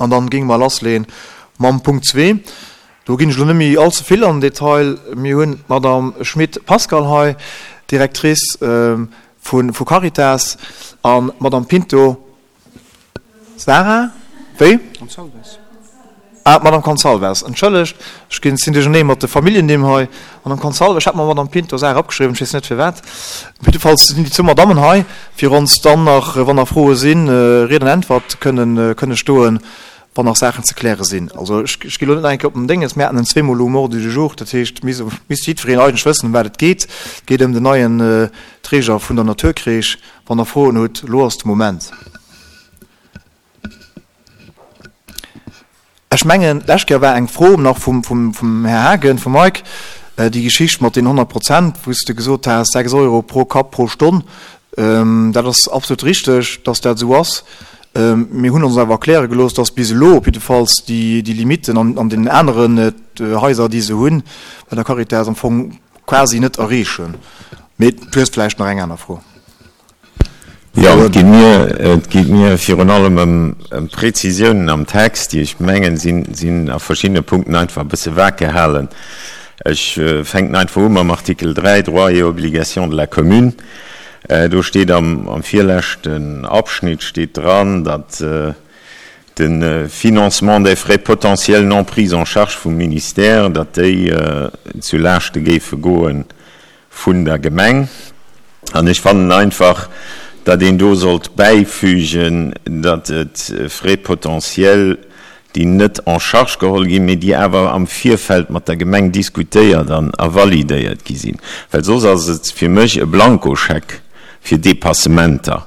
An dann géinge mer lassleeën mam Punkt zwee. Do ginn ech elo net méi all ze vill an den Detail. Mir hunn d'Madame Schmit Pascale hei, Directrice vu Caritas, an d'Madame Pinto Sara, wéi? Gonçalves. Ah, d'Madame Gonçalves, entschëllegt, ech ginn, sinn duerchernee mat de Familljennimm hei. Madame Gonçalves, ech hat mer Madame Pinto Sara opgeschriwwen, ech weess net firwat. Jiddefalls sinn déi zwou Madammen hei, fir ons dann nach, wann nach Froe sinn, Ried an Äntwert kënnen, kënne stoen, wann nach Saachen ze kläre sinn. Also ech, ech ginn elo net nach eng Kéier op den Dénges, mir haten en zweemol elo um Ordre du jour, dat heescht, misst, misst jiddwereen eigentlech wëssen, ëm wat et geet. Et geet ëm den neien Träger vun der Naturcrèche. Wann Der Froen hutt, elo ass de Moment. Ech mengen, d'lescht Kéier war eng Fro nach vum, vum, vum Här Haagen, vum Mike, déi Geschicht mat deenen 100 Prozent, wou s de gesot has, 6 Euro pro Kapp pro Stonn. Dat ass absolut richteg, dass dat esou ass. Mir hunn ons awer erkläre gelooss, dass bis elo op jiddefalls déi, déi Limiten an, an deenen aneren Haiser, déi se hunn, bei der Caritas am Fong quasi net erreechen. Mee du hues vläicht nach eng aner Fro. Jo, et geet mir, et geet mir virun allem ëm Prezisiounen am Text, déi ech mengen, sinn, sinn a verschiddene Punkten einfach e bësse vag gehalen. Ech fänken einfach u mam Artikel 3, Droits et obligations de la commune. Do steet am, am virleschten Abschnitt steet dran, datt de Financement des frais potentiels non pris en charge vum Ministère, datt déi zu Laaschte géife goe vun der Gemeng. An ech fannen einfach, datt een do sollt bäifügen, datt et Frais potentiels, déi net en charge geholl ginn, mee déi awer am Virfeld mat der Gemeng diskutéiert an a validéiert gi sinn. Well soss ass et fir mech e Blankoscheck fir Dépassementer.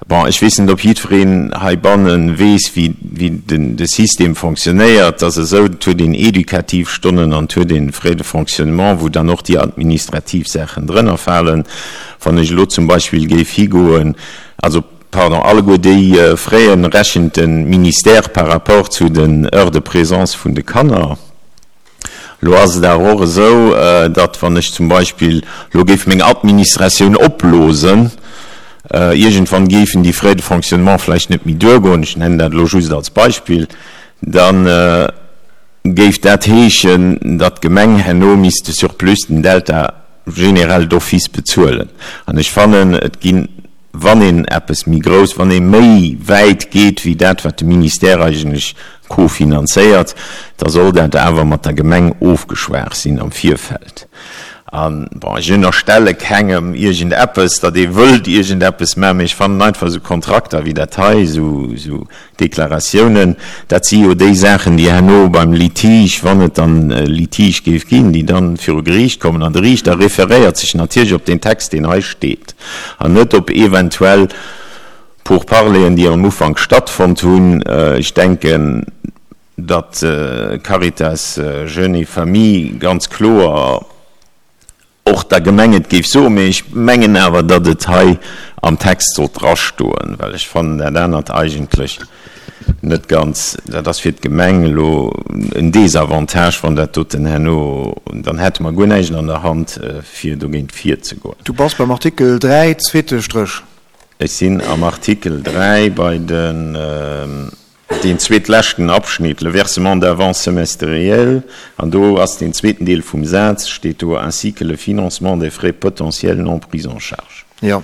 Bon, ech weess net, ob jiddwereen heibanne weess, wéi de System fonctionnéiert. Et ass esou, et huet een edukativ Stonnen an et huet een Frais de fonctionnement, wou dann och déi administrativ Saachen drënner falen. Wann ech elo zum Beispill géif higoen, also, pardon, alleguer déi Fraisen rechent de Ministère par rapport zu den Heures de présence vun de Kanner. Elo ass et awer och esou, datt wann ech zum Beispill elo géif meng Administratioun opblosen, iergendwann géifen déi Frais de fonctionnement vläicht net méi duergoen, ech nennen dat elo just als Beispill, da géif dat heeschen, datt d'Gemeng herno misst de Surplus, den Delta generell d'office bezuelen. An ech fannen, et ginn, wann een eppes méi grouss, wann ee méi wäit geet wéi dat, wat de Ministère eigentlech cofinanzéiert, da soll dat awer mat der Gemeng ofgeschwaach sinn am Virfeld. A bon, ech ënnerstelle kengem iergendeppes, datt ee wëllt iergendeppes maachen, mee ech fannen einfach esou Kontrakter wéi dat hei, esou Deklaratiounen, dat si jo déi Saachen, déi herno beim Litige, wann et dann e Litige géif ginn, déi dann viru Geriicht kommen. An de Riichter referéiert sech natierlech op deen Text, deen hei steet, an net op eventuell Pourparleren, déi am Ufank stattfonnt hunn. Ech denken, datt Caritas Jeunes et Familles ganz kloer och der Gemeng et géif soen, mee ech mengen awer, datt et hei am Text sollt drastoen, well ech fannen dat anert eigentlech net ganz, dat ass fir d'Gemeng elo en Désavantage, wann dat doten herno, dann hätte mer guer näischt an der Hand, fir dogéint virzegoen. Du bass beim Artikel 3, zweete Stréch. Ech sinn am Artikel 3 bei den, deen zweetleschten Abschnitt, le versement d'avances semestrielles, an do ass deen zweeten Deel vum Saz, steet do, ainsi que le financement des frais potentiels non pris en charge. Jo.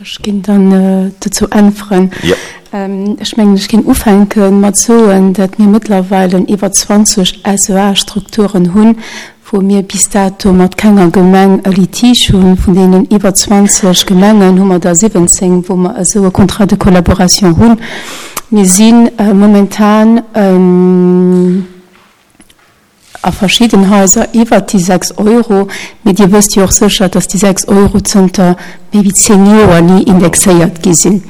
Ech ginn dann dozou äntweren. Jo. Ech mengen, ech géing ufänke mat soen, datt mir mëttlerweile iwwer 20 SEA-Strukturen hunn, wou mir bis dato mat kenger Gemeng e Litige hunn. Vun deenen iwwer 20 Gemengen hu mer der 17, wou mer esou e Contrat de collaboration hunn. Mir si momentan a verschidden Haiser iwwert déi 6 Euro, mee Dir wësst jo och sécher, dass déi 6 Euro zënter méi wéi 10 Joer ni indexéiert gi sinn.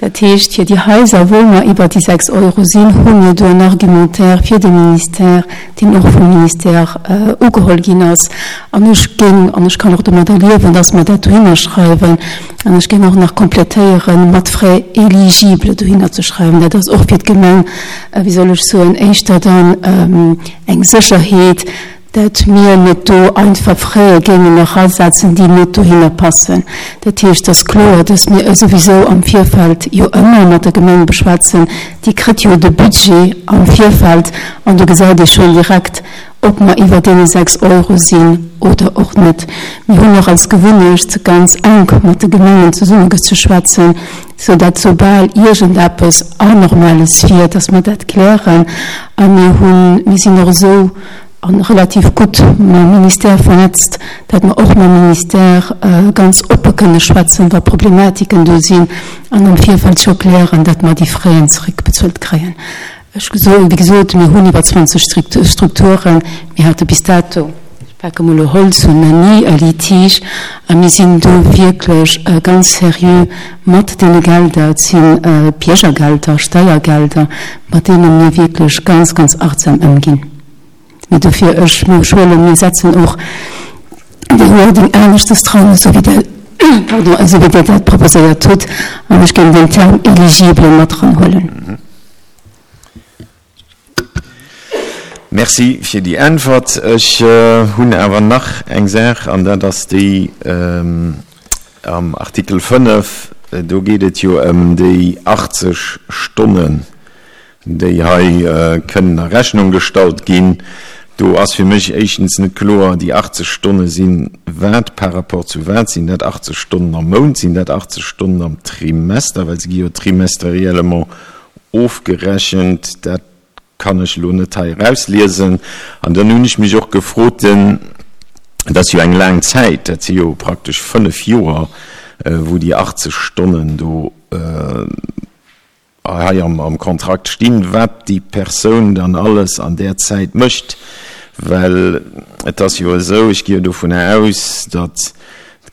Dat heescht, fir déi Haiser, wou mer iwwer déi 6 Euro sinn, hu mir do en Argumentaire fir de Ministère, deen och vum Ministère ugeholl ginn ass. An ech géing, an ech kann och domadder liewen, dass mer dat dohinner schreiwen, an ech géing och nach komplettéieren, mat Frais éligibles dohinner ze schreiwen. Dat ass och fir d'Gemeng, wéi soll ech soen, éischter dann eng Sécherheet. Dat mir net do einfach Fräe géingen erasetzen, déi net dohinner passen. Dat heescht, et ass kloer, dass mir e souwisou am Virfeld jo ëmmer mat der Gemeng beschwätzen. Déi kritt jo de Budget am Virfeld an do gesäit ee schonn direkt, ob mer iwwer deene 6 Euro sinn oder och net. Mir hunn och als Gewunnecht, ganz enk mat de Gemengen zesummegezeschwätzen, sou dat soubal iergendeppes Anormales wier, dass mer dat klären. A mir hunn, mir sinn och esou a relativ gutt mam Ministère vernetzt, dat mer och mam Ministère ganz oppe kënne schwätzen, wa Problematiken do sinn, an am Virfeld scho klären, dat mer déi Fräen zeréckbezuelt kréien. Ech soen, wéi gesot, mir hunn iwwer 20 Strukturen. Mir hate bis dato, ech pake mol elo Holz un, nach ni e Litige. A mir sinn do wierklech ganz seriö mat deene Gelder. Et si Biergergelder, Steiergelder, mat deene mir wierklech ganz, ganz achtsam ëmginn. Mee dofir, ech huelen, mir setzen och de Wording aneschtes dran, esou wéi Der, pardon, esou wéi Dir dat proposéiert hutt. An ech géing den Term éligible mat eranhuelen. Merci fir déi Äntwert. Ech hunn awer nach eng Saach, an dat ass déi am Artikel 5. Do geet et jo ëm déi 80 Stonnen, déi hei kënnen a Rechnung gestallt ginn. Do ass fir mech éischtens net kloer, déi 80 Stonne si wat par rapport zu wat? Sinn dat 80 Stonnen am Mount? Sinn dat 80 Stonnen am Trimester? Well se gi jo trimestriellement ofgerechent. Dat kann ech elo net hei erausliesen. An dann hunn ech mech och gefrot, den, dat ass jo eng laang Zäit, dat si jo praktesch fënnf Joer, wou déi 80 Stonnen do hei am Kontrakt stinn, wat déi Persoun dann alles an där Zäit mécht. Well et ass jo esou, ech gi jo dovunner aus, datt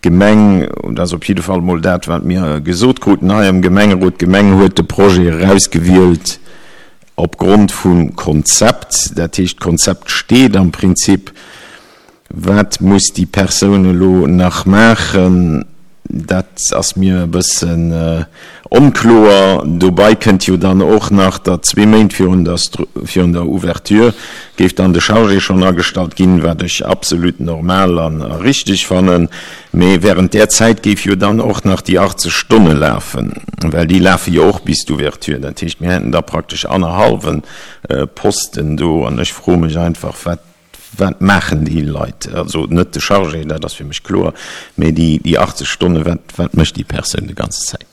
D'Gemeng, dat ass op jidde Fall emol dat, wat mir gesot kruten hei am Gemengerot, d'Gemeng huet de Projet erausgewielt opgrond vum Konzept. Dat heescht, d'Konzept steet am Prinzip. Wat muss déi Persoun elo nach maachen? Dat ass mir e bëssen onkloer. Dobei kënnt jo dann och nach, datt zwee Méint virun der virun der Ouverture géif dann de Chargé schonn agestallt ginn, wat ech absolut normal an a richteg fannen. Mee während där Zäit géif jo dann och nach déi 80 Stonne lafen, well déi lafe jo och bis d'Ouverture. Dat heescht, mir hätten da praktesch annerhallwe Posten do. An ech froe mech einfach, wat Wat maachen déi Leit? Also net de Chargé, dat ass fir mech kloer, mee déi 80 Stonnen, wat, wat mécht déi Persoun déi ganze Zäit?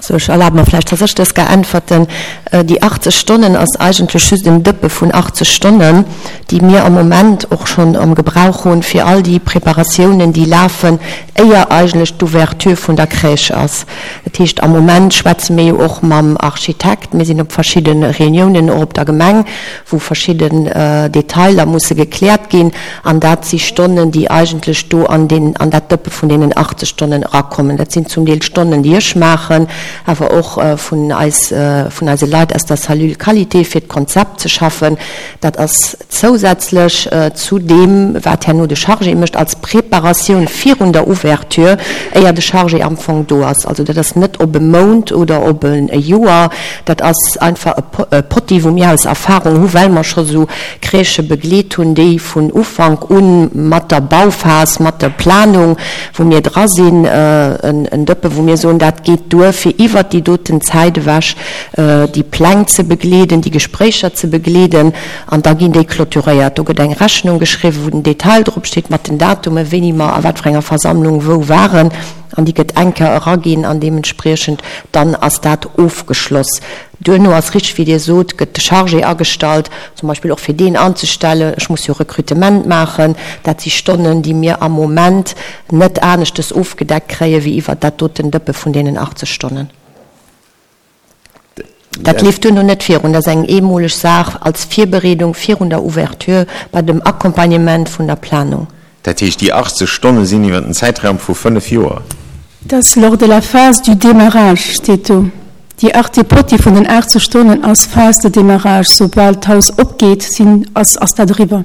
Also ech erlabe mer vläicht, dass ech dës gar äntwerten. Déi 80 Stonnen ass eigentlech just en Dëppe vun 80 Stonnen, déi mir am Moment och schonn am Gebrauch hunn, fir all déi Preparatiounen, déi lafen, éier eigentlech d'Ouverture vun der Crèche ass. Dat heescht, am Moment schwätze mir jo och mam Architekt, mir sinn op verschidde Reuniounen och op der Gemeng, wou verschidden Detailer musse gekläert ginn, an dat si Stonnen, déi eigentlech do an deen, an dat Dëppe vun deenen 80 Stonnen erakommen. Dat sinn zum Deel Stonnen, déi ech maachen, awer och vun eis, vun eise Leit aus der Cellule Qualité, fir d'Konzept ze schaffen. Dat ass zousätzlech zu deem, wat herno de Chargé mécht als Preparatioun virun der Ouverture, éier de Chargé am Fong do ass. Also dat ass net op e Mount oder op e Joer. Dat ass einfach e Potti, wou mir aus Erfahrung hu, well mer scho sou Crèchë begleet hunn, déi vun Ufank u mat der Bauphas, mat der Planung, wou mir dra sinn, en Dëppe wou mir soen, dat geet duer, fir iwwert déi doten Zäit ewech déi Pläng ze begleeden, déi Gespréicher ze begleeden. An da ginn déi clôturéiert. Do gëtt eng Rechnung geschriwwen, wou den Detail dropsteet mat den Datumen, wéini mer a wat fir enger Versammlung wou waren. An déi gëtt eng Kéier eraginn an deementspriechend dann ass dat ofgeschloss. Duerno ass richteg, wéi Dir sot, gëtt de Chargé agestallt, zum Beispill och fir deen anzestellen. Ech muss jo Recrutement maachen. Dat si Stonnen, déi mir am Moment net aneschtes ofgedeckt kréie wéi iwwert dat doten Dëppe vun deenen 80 Stonnen. Dat leeft duerno net virun. Dat ass eng eemoleg Saach als Virbereedung virun der Ouverture bei dem Accompagnement vun der Planung. Dat heescht, déi 80 Stonne sinn iwwer en Zäitraum vu fënnef Joer? Dat ass lors de la phase du démarrage, steet do. Déi Arte Potti vun den 80 Stonnen ass Phase de démarrage. Soubal d'Haus opgeet, sinn, ass, ass dat eriwwer.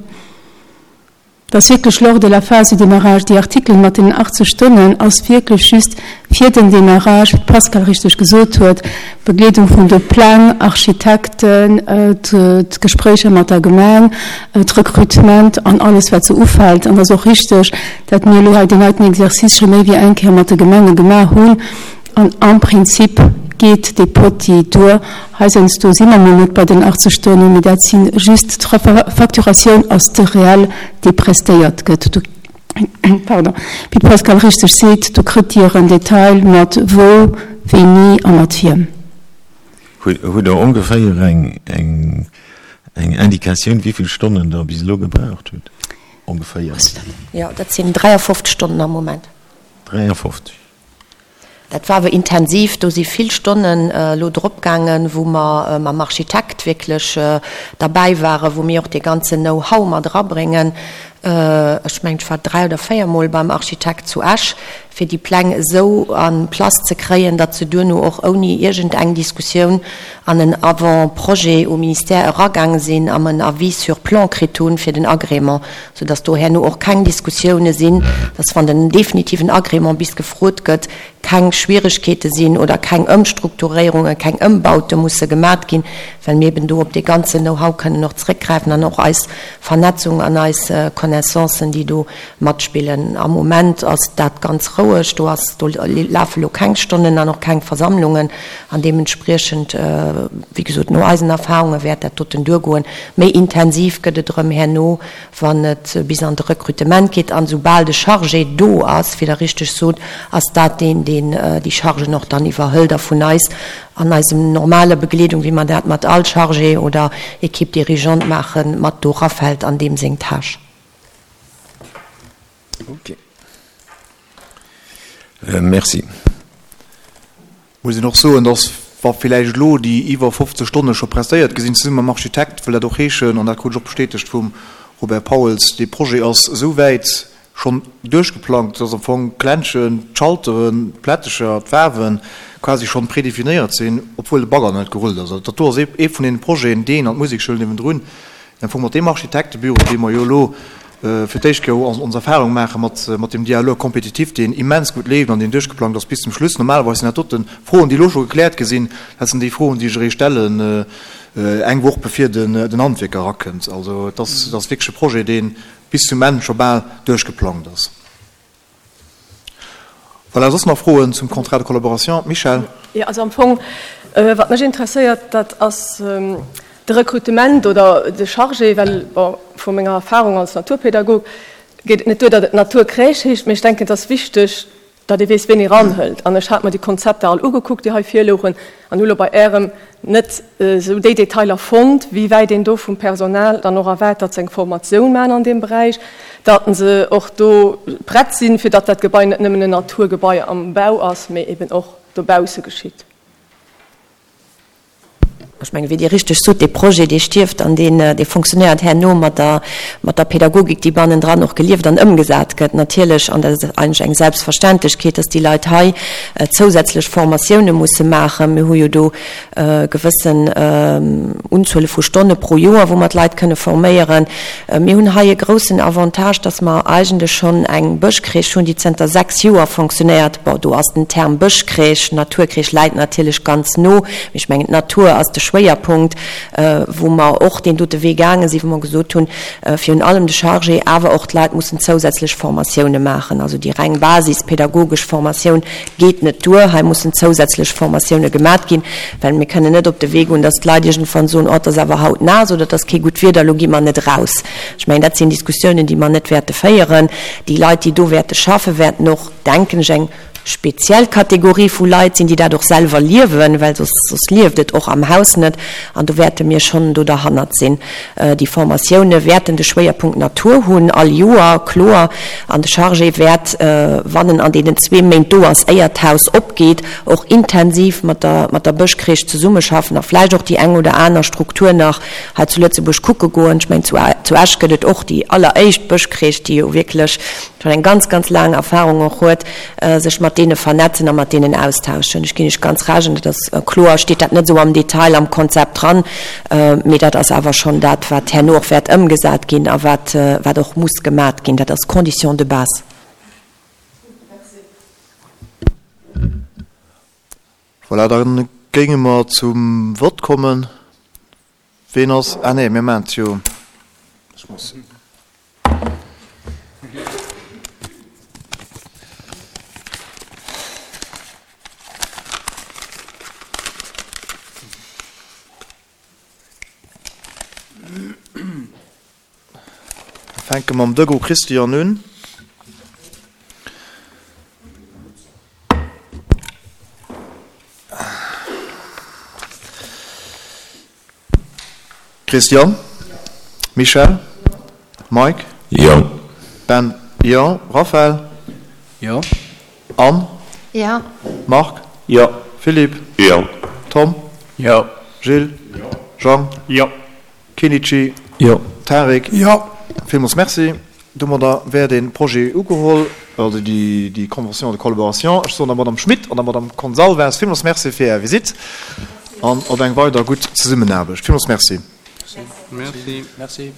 Dat ass wierklech lors de la phase du démarrage. Déi Artikelen mat deenen 80 Stonnen ass wierklech just. Fir den Démarrage, wéi d'Pascale richteg gesot huet, Begleedung vun de Pläng, Architekten, d'Gespréicher mat der Gemeng, d'Rekrutement an alles wat sou ufält. An et ass och richteg, dat mir elo hei deen heiten Exercice scho méi wéi eng Kéier mat de Gemenge gemaach hunn. An am Prinzip geet dee Potti duer. Heiansdo si mer mol net bei den 80 Stonnen, mee dat si just d'Facturatioun ass de Réel, dee prestéiert gëtt. Pardon, wéi d'Pascale richteg seet, do kritt Dir en Detail mat wou, wéini a mat wiem. Hutt Der ongeféier eng Indikatioun, wéi vill Stonnen Der bis elo gebraucht hutt? Ongeféier. Jo, dat sinn 53 Stonnen am Moment. 53. Dat war awer intensiv, do si vill Stonnen elo dropgaangen, wou mer mam Architekt wierklech derbäi waren, wou mir och dee ganzen Know-how mat erabréngen. Ech mengen, ech war dräi oder véiermol beim Architekt zu Esch, fir déi Pläng esou en place ze kréien, datt se duerno och ouni iergendeng Diskussioun an en Avant-projet um Ministère eragaange sinn a mer en Avis sur plan kritt hunn fir den Agrément, soudass do herno och keng Diskussioune sinn, dass wann den definitiven Agrément bis gefrot gëtt, keng Schwieregkeete sinn oder keng Ëmstrukturéierungen, keng Ëmbaute musse gemat ginn, well mir eben do op dee ganzen Know-how kënnen och zréckgräifen an och eis Vernetzung an eis Connaissancen, déi do matspillen. Am Moment ass dat ganz roueg, do ass, do lafe lo keng Stonnen an och keng Versammlungen an deementspriechend, wéi gesot, no eisen Erfahrunge wäert dat doten duergoen. Méi intensiv gëtt et erëm herno, wann et bis an de Recrutement geet. An esoubal de Chargé do ass, wéi Der richteg sot, ass dat deen, deen déi Chargen och dann iwwerhëlt a vun eis an eisem normale Begleedung, wéi mer dat mat all Chargé oder Équipe dirigeante maachen, mat do erafält an deem seng Tâche. Ok. Merci. Muss een och soen, dass, wa villäicht elo déi iwwer 50 Stonne scho prestéiert gi sinn, zesumme mam Architekt, wëll dat och heeschen, an dat krut ech och bestätegt vum Robert Pauls, dee Projet ass esou wäit schonn duerchgeplangt, dass am Fong d'Klenschen, d'Schalteren, d'Plättecher, d'Faarwe quasi schonn prédefinéiert sinn, obwuel de Bagger nach net gerullt ass. Also dat do ass ee vun deene Projeten, deen an d'Musekschoul niewendrun, am Fong mat deem Architektebüro, dee mer jo elo fir d'éischt Kéier ons Erfahrung maache mat deem Dialogue compétitif, deen immens gutt leeft an deen duerchgeplangt ass bis zum Schluss. Normalerweis sinn dat dote Froen, déi elo scho gekläert gi sinn, dat sinn déi Froen, déi ech eréischt stellen eng Woch bevir den Handwierker erakënnt. Also et ass wierklech e Projet, dee bis zum Enn scho bal duerchgeplangt ass. Voilà, soss nach Froen zum Contrat de collaboration? Michèle? Jo, also am Fong, wat mech interesséiert, dat ass de Rekrutement oder de Chargé, well, bon, vu menger Erfahrung als Naturpädagog geet et net duer, datt et Naturcrèche heescht, mee ech denken, et ass wichteg, datt ee weess, ween ee ranhëlt. An ech hat mer déi Konzepter all ugekuckt, déi hei virlouchen, an hu lo bei Ärem net esou déi Detailer fonnt, wéi wäit een do vum Personal dann och erwaart, datt se eng Formatioun maachen an deem Beräich, datt se och do prett sinn, fir datt dat Gebai net nëmmen en Naturgebai am Bau ass, mee eben och dobausse geschitt. Ech mengen, wéi Dir richteg sot, dee Projet, dee stierft an deen, dee fonctionnéiert herno mat der, mat der Pädagogik, déi bannendran och gelieft an ëmgesat gëtt. Natierlech, an dat ass eigentlech eng Selbstverständlechkeet, dass déi Leit hei zousätzlech Formatioune musse maachen. Mir hu jo do gewëssen Unzuele vu Stonne pro Joer, wou mer d'Leit kënne forméieren. Mir hunn hei e groussen Avantage, dass mer eigentlech schonn eng Bëschcrèche hunn, déi zënter 6 Joer fonctionnéiert. Bon, do ass den Term Bëschcrèche, Naturcrèche läit natierlech ganz no, mee ech mengen, d'Natur ass de Schwéierpunkt, wou mer och deen dote Wee gaange sinn, wou mer gesot hunn, virun allem de Chargé, awer och d'Leit mussen zousätzlech Formatioune maachen. Also déi reng basispädagogesch Formatioun geet net duer. Hei mussen zousätzlech Formatioune gemat ginn, well mir kënnen net op de Wee goen, dass d'Leit iergendwann soen, oh, et ass awer haut naass oder et ass kee gutt Wieder, elo gi mer net eraus. Ech mengen, dat sinn Diskussiounen, déi mer net wäerte féieren. Déi Leit, déi do wäerte schaffen, wäerten och, denken ech, eng speziell Kategorie vu Leit sinn, déi dat och selwer liewen, well soss, soss lieft et och am Haus net. An do wäerte mir schonn do derhannert sinn. Déi Formatioune wäerten de Schwéierpunkt Natur hunn, all Joer, kloer. An de Chargé wäert, wann en an deenen zwee Méint do ass, éier d'Haus opgeet, och intensiv mat der, mat der Bëschcrèche zesummeschaffen a vläicht och déi eng oder aner Struktur nach hei zu Lëtzebuerg kucke goen. Ech mengen, zu, zu Esch gëtt et och déi alleréischt Bëschcrèche, déi jo wierklech schonn eng ganz, ganz laang Erfahrung och huet, sech mat deene vernetzen a mat deenen austauschen. Ech ginn Iech ganz Recht, an dat ass kloer, steet dat net esou am Detail am Konzept dran, mee dat ass awer schonn dat, wat herno och wäert ëmgesat ginn a wat, wat och muss gemat ginn. Dat ass Condition de base. Voilà, da géinge mer zum Vott kommen. Ween ass, ah nee, mir maachen et jo, ech muss. Fänke mam Degaux Christian un. Christian? Michèle? Mike? Jo. Ben? Jo. Raphaël? Jo. Anne? Jo. Marc? Jo. Philippe? Jo. Tom? Jo. Gilles? Jo. Jean? Jo. Kenichi? Jo. Tarik? Jo. Villmools Merci. Domadder wär dee Projet ugeholl, also déi Convention de collaboration. Ech soen der Madame Schmit an der Madame Consalves villmools Merci fir Är Visitt an op eng weider gutt Zesummenaarbecht. Villmools Merci. Merci. Merci.